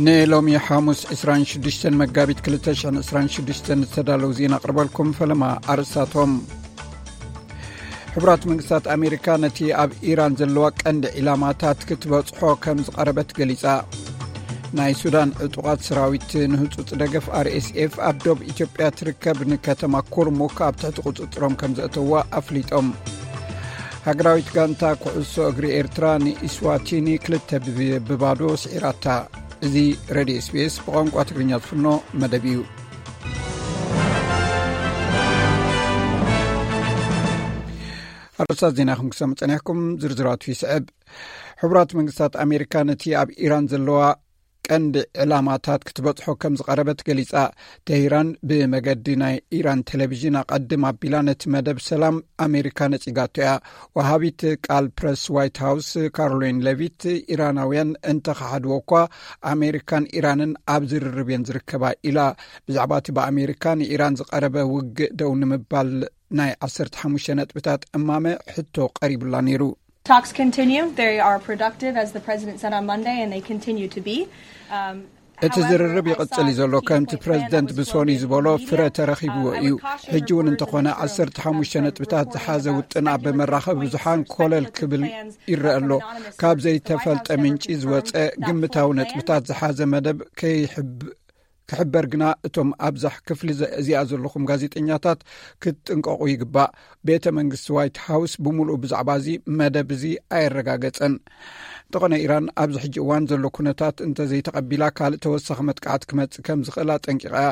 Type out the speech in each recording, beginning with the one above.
ንሎሚ ሓሙስ ዕስራን ሽዱሽተን መጋቢት ክልተ ሽሕን ዕስራን ሽዱሽተን ዝተዳለዉ ዜና ኣቕርበልኩም። ፈለማ ኣርእስታቶም። ሕቡራት መንግስታት ኣሜሪካ ነቲ ኣብ ኢራን ዘለዋ ቀንዲ ዒላማታት ክትበጽሖ ከም ዝቐረበት ገሊጻ። ናይ ሱዳን ዕጡቓት ሰራዊት ንህጹጽ ደገፍ ኣር ኤስ ኤፍ ኣብ ዶብ ኢትዮጵያ ትርከብ ንከተማ ኩርሙክ ኣብ ትሕቲ ቁጽጽሮም ከም ዘእተዋ ኣፍሊጦም። ሃገራዊት ጋንታ ኩዕሶ እግሪ ኤርትራ ንኢስዋቲኒ ክልተ ብ-፣ ብባዶ ስዒራታ። እዚ ሬድዮ ኤስ ቢ ኤስ ብቋንቋ ትግርኛ ዝፍኖ መደብ እዩ። ኣርእስታት ዜና ከም ክሰሙ ጸኒሕኩም፣ ዝርዝራቱ ይስዕብ። ሕቡራት መንግስታት ኣሜሪካ ነቲ ኣብ ኢራን ዘለዋ ቀንዲ ዕላማታት ክትበጽሖ ከም ዝቐረበት ገሊጻ። ተሂራን ብመገዲ ናይ ኢራን ቴሌቪዥን ኣቐድም ኣቢላ ነቲ መደብ ሰላም ኣሜሪካ ነጺጋቶ እያ። ወሃቢት ቃል ፕረስ ዋይት ሃውስ ካሮሊን ሌቪት፣ ኢራናውያን እንተኸሓድዎ እኳ ኣሜሪካን ኢራንን ኣብ ዝርርብ እየን ዝርከባ ኢላ። ብዛዕባ እቲ ብኣሜሪካ ንኢራን ዝቐረበ ውግእ ደው ንምባል ናይ ዓሰርተ ሓሙሽተ ነጥብታት እማመ ሕቶ ቀሪቡላ ነይሩ። Talks continue. They are productive, as the president said on Monday, and they continue to be. Um, እቲ ዝርርብ ይቕጽል እዩ ዘሎ። ከምቲ ፕረዚደንት ብሶኒ ዝበሎ ፍረ ተረኺብዎ እዩ። ሕጂ እውን እንተኾነ ዓሰርተ ሓሙሽተ ነጥብታት ዝሓዘ ውጥን ኣብ መራኸቢ ብዙሓን ኮለል ክብል ይረአ ኣሎ። ካብ ዘይተፈልጠ ምንጪ ዝወጸ ግምታዊ ነጥብታት ዝሓዘ መደብ ከይሕብ-፣ ክሕበር ግና እቶም ኣብዛሕ ክፍሊ ዘ-፣ እዚኣ ዘለኹም ጋዜጠኛታት ክትጥንቀቑ ይግባእ። ቤተ መንግስቲ ዋይት ሃውስ ብምሉኡ ብዛዕባ እዚ መደብ እዚ ኣየረጋገጸን። እንተኾነ ኢራን ኣብዚ ሕጂ እዋን ዘሎ ኩነታት እንተዘይተቐቢላ ካልእ ተወሳኺ መጥቃዕቲ ክመጽእ ከም ዝኽእል ኣጠንቂቓ እያ።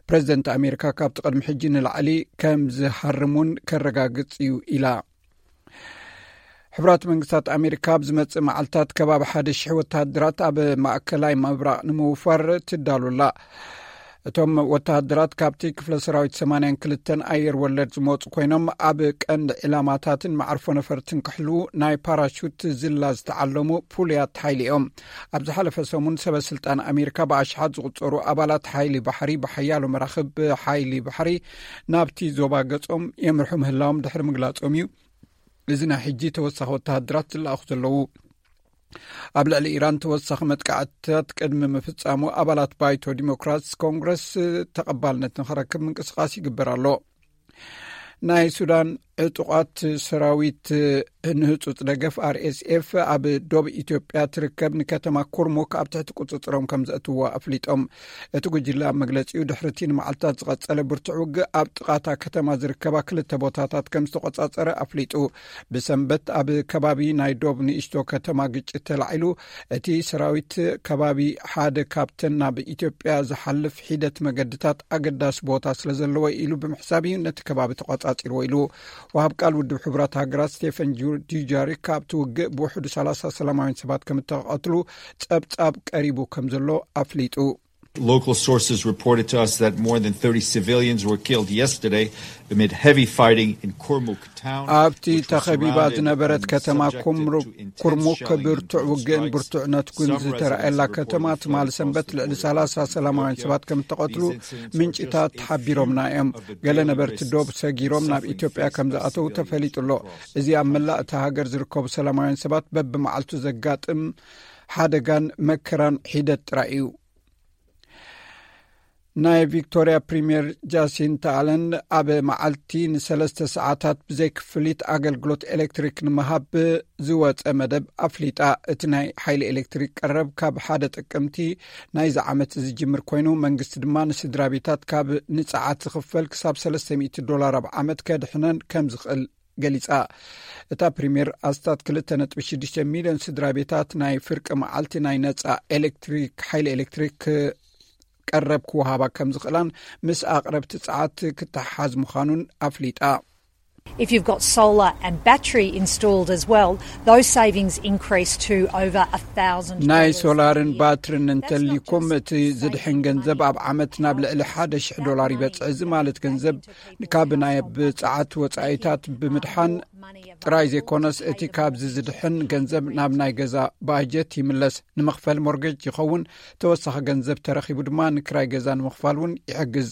ፕረዚደንት ኣሜሪካ ካብቲ ቅድሚ ሕጂ ንላዕሊ ከም ዝሃርም እውን ከረጋግጽ እዩ ኢላ። ሕቡራት መንግስታት ኣሜሪካ ኣብ ዝመጽእ መዓልታት ከባቢ ሓደ ሽሕ ወተሃደራት ኣብ ማእከላይ ምብራቕ ንምውፋር ትዳሉላ። እቶም ወተሃደራት ካብቲ ክፍለ ሰራዊት ሰማንያን ክልተን ኣየር ወለድ ዝመጹ ኮይኖም ኣብ ቀንዲ ዕላማታትን መዓርፎ ነፈርትን ክሕልዉ ናይ ፓራሹት ዝላ ዝተዓለሙ ፍሉያት ሓይሊ እዮም። ኣብ ዝሓለፈ ሰሙን ሰበ ስልጣን ኣሜሪካ ብኣሽሓት ዝቑጸሩ ኣባላት ሓይሊ ባሕሪ ብሓያሎ መራኽብ ሓይሊ ባሕሪ ናብቲ ዞባ ገጾም የምርሑ ምህላዎም ድሕሪ ምግላጾም እዩ እዚ ናይ ሕጂ ተወሳኺ ወተሃደራት ዝለኣኹ ዘለዉ። ኣብ ልዕሊ ኢራን ተወሳኺ መጥቃዕትታት ቅድሚ ምፍጻሙ ኣባላት ባይቶ ዲሞክራትስ ኮንግረስ ተቐባልነት ንኽረክብ ምንቅስቓስ ይግበር ኣሎ። ናይ ሱዳን ዕጡቓት ሰራዊት ንህጹጽ ደገፍ ኣር ኤስ ኤፍ ኣብ ዶብ ኢትዮጵያ ትርከብ ንከተማ ኩርሙክ ኣብ ትሕቲ ቁጽጽሮም ከም ዘእትዎ ኣፍሊጦም። እቲ ጉጅለ ኣብ መግለጺኡ ድሕሪቲ ንመዓልታት ዝቐጸለ ብርቱዕ ውግእ ኣብ ጥቓታ ከተማ ዝርከባ ክልተ ቦታታት ከም ዝተቆጻጸረ ኣፍሊጡ። ብሰንበት ኣብ ከባቢ ናይ ዶብ ንእሽቶ ከተማ ግጭት ተላዒሉ። እቲ ሰራዊት ከባቢ ሓደ ካብተን ናብ ኢትዮጵያ ዝሓልፍ ሒደት መገድታት ኣገዳሲ ቦታ ስለ ዘለዎ ኢሉ ብምሕሳብ እዩ ነቲ ከባቢ ተቆጻጺርዎ ኢሉ። ወሃብ ቃል ውድብ ሕቡራት ሃገራት ስቴፈን ጁ-፣ ዱጃሪክ ካብቲ ውግእ ብውሕዱ ሰላሳ ሰላማውያን ሰባት ከም እተቐትሉ ጸብጻብ ቀሪቡ ከም ዘሎ ኣፍሊጡ። Local sources reported to us that more than thirty civilians were killed yesterday amid heavy fighting in Kurmuk town, ኣብቲ which was ተኸቢባ surrounded ዝነበረት and ከተማ subjected ኩምሩ-፣ to intense ኩርሙክ shelling and ብርቱዕ drone ውግእን strikes. ብርቱዕ ነትጉን Some ዝተረኣየላ residents were ከተማ reporting ትማሊ flooding ሰንበት close to ልዕሊ the border ሰላሳ with ሰላማውያን Ethiopia. ሰባት ከም እተቐትሉ These incidents are ምንጭታት just a few ሓቢሮምና እዮም። of the ገለ daily ነበርቲ risks ዶብ ሰጊሮም ናብ suffering ኢትዮጵያ ከም families ዝኣተዉ and ተፈሊጡ ኣሎ። እዚ ኣብ መላእ እታ ሃገር ዝርከቡ ሰላማውያን ሰባት በብመዓልቱ ዘጋጥም ሓደጋን መከራን ሒደት ጥራይ እዩ። ናይ ቪክቶሪያ ፕሪምየር ጃሲንታ ኣለን ኣብ መዓልቲ ንሰለስተ ሰዓታት ብዘይ ክፍሊት ኣገልግሎት ኤሌክትሪክ ንምሃብ ዝወጸ መደብ ኣፍሊጣ። እቲ ናይ ሓይሊ ኤሌክትሪክ ቀረብ ካብ ሓደ ጥቅምቲ ናይዚ ዓመት ዝጅምር ኮይኑ፣ መንግስቲ ድማ ንስድራ ቤታት ካብ ንጸዓት ዝኽፈል ክሳብ ሰለስተ ሚእቲ ዶላር ኣብ ዓመት ከድሕነን ከም ዝኽእል ገሊጻ። እታ ፕሪምየር ኣስታት ክልተ ነጥቢ ሽዱሽተ ሚልዮን ስድራ ቤታት ናይ ፍርቂ መዓልቲ ናይ ነጻ ኤሌክትሪክ፣ ሓይሊ ኤሌክትሪክ ቀረብ ክወሃባ ከም ዝኽእላን ምስ ኣቕረብቲ ጸዓት ክተሓሓዝ ምዃኑን ኣፍሊጣ። If you've got solar and battery installed as well, those savings increase to over a thousand dollars a year. ናይ ሶላርን ባትርን እንተሊኩም እቲ ዝድሕን ገንዘብ ኣብ ዓመት ናብ ልዕሊ ሓደ ሽሕ ዶላር ይበጽሕ። እዚ ማለት ገንዘብ ካብ ናይ ብጸዓት ወጻኢታት ብምድሓን ጥራይ ዘይኮነስ እቲ ካብዚ ዝድሕን ገንዘብ ናብ ናይ ገዛ ባጀት ይምለስ። ንመኽፈል ሞርጌጅ ይኸውን። ተወሳኺ ገንዘብ ተረኺቡ ድማ ንክራይ ገዛ ንምኽፋል እውን ይሕግዝ።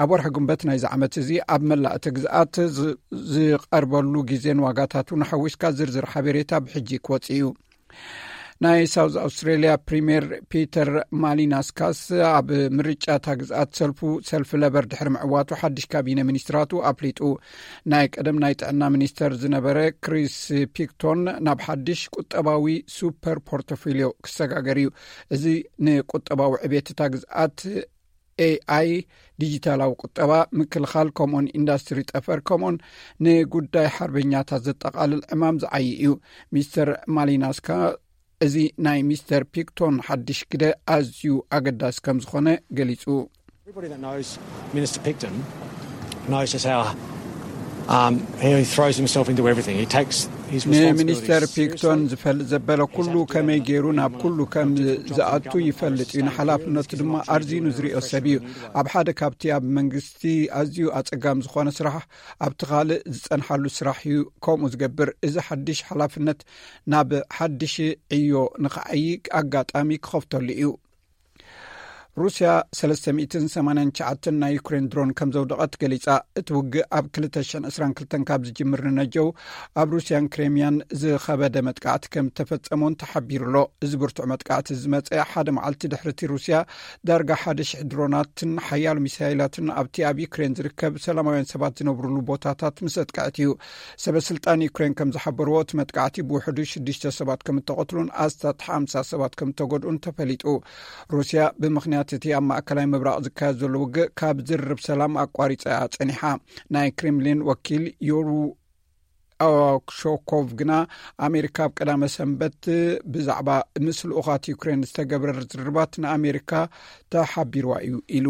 ኣብ ወርሒ ግንቦት ናይዚ ዓመት እዚ ኣብ መላእ እቲ ግዝኣት ዝ-፣ ዝቐርበሉ ግዜን ዋጋታቱን ሓዊስካ ዝርዝር ሓበሬታ ብሕጂ ክወጽእ እዩ። ናይ ሳውዝ ኣውስትሬልያ ፕሪምየር ፒተር ማሊናስካስ ኣብ ምርጫ እታ ግዝኣት ሰልፉ፣ ሰልፊ ለበር፣ ድሕሪ ምዕዋቱ ሓድሽ ካቢነ ሚኒስትራቱ ኣፍሊጡ። ናይ ቀደም ናይ ጥዕና ሚኒስተር ዝነበረ ክሪስ ፒክቶን ናብ ሓድሽ ቁጠባዊ ሱፐር ፖርቶፊልዮ ክሰጋገር እዩ። እዚ ንቁጠባዊ ዕቤት እታ ግዝኣት፣ ኤኣይ፣ ዲጂታላዊ ቁጠባ፣ ምክልኻል፣ ከምኡን ኢንዳስትሪ ጠፈር፣ ከምኡን ንጉዳይ ሓርበኛታት ዘጠቓልል ዕማም ዝዓዪ እዩ። ሚስተር ማሊናስካ፣ እዚ ናይ ሚስተር ፒክቶን ሓድሽ ግደ ኣዝዩ ኣገዳሲ ከም ዝኾነ ገሊጹ። Everybody that knows Minister Picton knows just how, um, he throws himself into everything. He takes his ንሚኒስተር responsibilities ፒክቶን seriously. ዝፈልጥ ዘበለ ኩሉ ከመይ ገይሩ ናብ ኩሉ ከም ዝኣቱ ይፈልጥ እዩ። ንሓላፍነቱ ድማ ኣርዚኑ ዝሪኦ ሰብ እዩ። ኣብ ሓደ ካብቲ ኣብ መንግስቲ ኣዝዩ ኣጸጋሚ ዝኾነ ስራሕ፣ ኣብቲ ካልእ ዝጸንሓሉ ስራሕ እዩ ከምኡ ዝገብር። እዚ ሓድሽ ሓላፍነት ናብ ሓድሽ ዕዮ ንኽዓዪ ኣጋጣሚ ክኸፍተሉ እዩ። ሩስያ ሰለስተ ሚእትን ሰማንያን ትሽዓተን ናይ ዩክሬን ድሮን ከም ዘውደቐት ገሊጻ። እቲ ውግእ ኣብ ክልተ ሽሕን ዕስራን ክልተን ካብ ዝጅምር ንነጀው ኣብ ሩስያን ክሬምያን ዝኸበደ መጥቃዕቲ ከም ተፈጸሞን ተሓቢሩ ኣሎ። እዚ ብርቱዕ መጥቃዕቲ ዝመጸ ሓደ መዓልቲ ድሕሪቲ ሩስያ ዳርጋ ሓደ ሽሕ ድሮናትን ሓያሎ ሚሳይላትን ኣብቲ ኣብ ዩክሬን ዝርከብ ሰላማውያን ሰባት ዝነብሩሉ ቦታታት ምስ ኣጥቅዐት እዩ። ሰበ ስልጣን ዩክሬን ከም ዝሓበርዎ፣ እቲ መጥቃዕቲ ብውሕዱ ሽዱሽተ ሰባት ከም እተቐትሉን ኣስታት ሓምሳ ሰባት ከም እተጎድኡን ተፈሊጡ። ሩስያ ብምኽንያት እቲ ኣብ ማእከላይ ምብራቕ ዝካየድ ዘሎ ውግእ ካብ ዝርርብ ሰላም ኣቋሪጻ እያ ጸኒሓ። ናይ ክሬምሊን ወኪል ዮሩ ኦክሾኮቭ ግና፣ ኣሜሪካ ኣብ ቀዳመ ሰንበት ብዛዕባ ምስ ልኡኻት ዩክሬን ዝተገብረ ዝርርባት ንኣሜሪካ ተሓቢርዋ እዩ ኢሉ።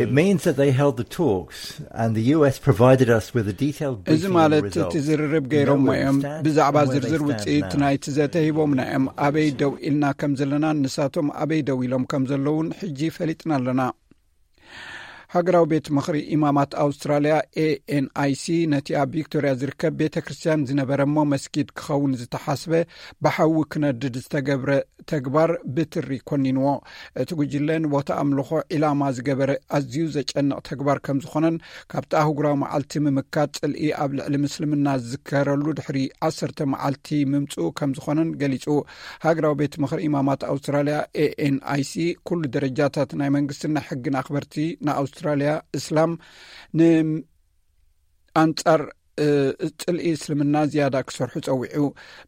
It means that they held the talks and the U S provided us with a detailed እዚ briefing on the ማለት እቲ results. ዝርርብ ገይሮሞ እዮም። ብዛዕባ ዝርዝር ውፅኢት ናይቲ ዘተ ሂቦምና እዮም። ኣበይ ደው ኢልና ከም ዘለና፣ ንሳቶም ኣበይ ደው ኢሎም ከም ዘለውን ሕጂ ፈሊጥና ኣለና። ሃገራዊ ቤት ምኽሪ ኢማማት ኣውስትራልያ፣ ኤኤንኣይሲ፣ ነቲ ኣብ ቪክቶርያ ዝርከብ ቤተ ክርስቲያን ዝነበረ እሞ መስጊድ ክኸውን ዝተሓስበ ብሓዊ ክነድድ ዝተገብረ ተግባር ብትሪ ኮኒንዎ። እቲ ጉጅለ ንቦታ ኣምልኾ ዒላማ ዝገበረ ኣዝዩ ዘጨንቕ ተግባር ከም ዝኾነን፣ ካብቲ ኣህጉራዊ መዓልቲ ምምካት ጽልኢ ኣብ ልዕሊ ምስልምና ዝዝከረሉ ድሕሪ ዓሰርተ መዓልቲ ምምጽኡ ከም ዝኾነን ገሊጹ። ሃገራዊ ቤት ምኽሪ ኢማማት ኣውስትራልያ፣ ኤኤንኣይሲ፣ ኩሉ ደረጃታት ናይ መንግስትን ናይ ሕግን ኣኽበርቲ ንኣውስትራልያ እስላም ን ኣንጻር፣ እ፣ ጽልኢ እስልምና ዝያዳ ክሰርሑ ጸዊዑ።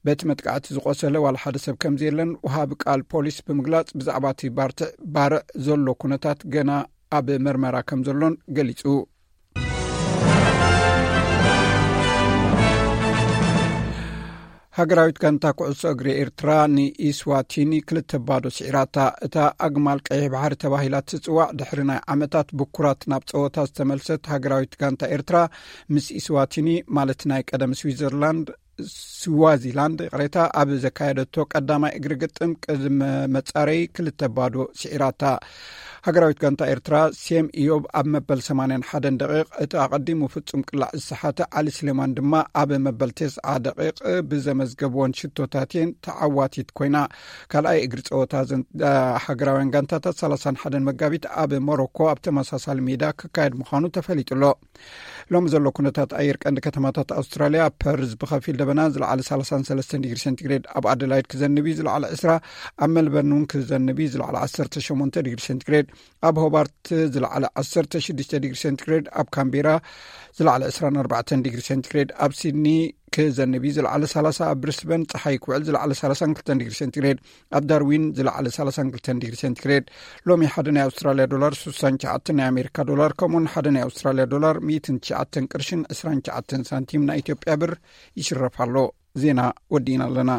በቲ መጥቃዕቲ ዝቆሰለ ዋላ ሓደ ሰብ ከም ዘየለን ወሃቢ ቃል ፖሊስ ብምግላጽ፣ ብዛዕባ እቲ ባርትዕ፣ ባርዕ ዘሎ ኩነታት ገና ኣብ መርመራ ከም ዘሎን ገሊጹ። ሃገራዊት ጋንታ ኩዕሶ እግሪ ኤርትራ ንኢስዋቲኒ ክልተ ባዶ ስዒራታ። እታ ኣግማል ቀይሕ ባሕሪ ተባሂላ ትጽዋዕ፣ ድሕሪ ናይ ዓመታት ብኩራት ናብ ጸወታ ዝተመልሰት ሃገራዊት ጋንታ ኤርትራ፣ ምስ ኢስዋቲኒ፣ ማለት ናይ ቀደም ስዊዘርላንድ፣ ስዋዚላንድ፣ ይቕሬታ፣ ኣብ ዘካየደቶ ቀዳማይ እግሪ ግጥም ቅድመ መጻረይ ክልተ ባዶ ስዒራታ። ሃገራዊት ጋንታ ኤርትራ፣ ሴም ኢዮብ ኣብ መበል ሰማንያን ሓደን ደቂቕ፣ እቲ ኣቐዲሙ ፍጹም ቅላዕ ዝሰሓተ ዓሊ ስሌማን ድማ ኣብ መበል ተስዓ ደቂቕ ብዘመዝገብወን ሽቶታት እየን ተዓዋቲት ኮይና። ካልኣይ እግሪ ጸወታ እዘን፣ አ፣ ሃገራውያን ጋንታታት ሰላሳን ሓደን መጋቢት ኣብ ሞሮኮ ኣብ ተመሳሳሊ ሜዳ ክካየድ ምዃኑ ተፈሊጡ ኣሎ። ሎሚ ዘሎ ኩነታት ኣየር ቀንዲ ከተማታት ኣውስትራልያ፣ ፐርዝ ብኸፊል ደበና ዝለዓለ ሰላሳን ሰለስተን ዲግሪ ሴንቲግሬድ፣ ኣብ ኣደላይድ ክዘንብ እዩ ዝለዓለ ዕስራ፣ ኣብ ሜልበርን እውን ክዘንብ እዩ ዝለዓለ ዓሰርተ ሸሞንተ ዲግሪ ሴንቲግሬድ፣ ኣብ ሆባርት ዝለዓለ ዓሰርተ ሽዱሽተ ዲግሪ ሴንቲግሬድ፣ ኣብ ካምቤራ ዝለዓለ ዕስራን ኣርባዕተን ዲግሪ ሴንቲግሬድ፣ ኣብ ሲድኒ ክዘንብ እዩ ዝለዓለ ሰላሳ፣ ኣብ ብሪስበን ጸሓይ ክውዕል ዝለዓለ ሰላሳን ክልተን ዲግሪ ሴንቲግሬድ፣ ኣብ ዳርዊን ዝለዓለ ሰላሳን ክልተን ዲግሪ ሴንቲግሬድ። ሎሚ ሓደ ናይ ኣውስትራልያ ዶላር ስሳን ትሽዓተን ናይ ኣሜሪካ ዶላር፣ ከምኡውን ሓደ ናይ ኣውስትራልያ ዶላር ሚእትን ትሽዓተን ቅርሽን ዕስራን ትሽዓተን ሳንቲም ናይ ኢትዮጵያ ብር ይሽረፍ ኣሎ። ዜና ወዲእና ኣለና።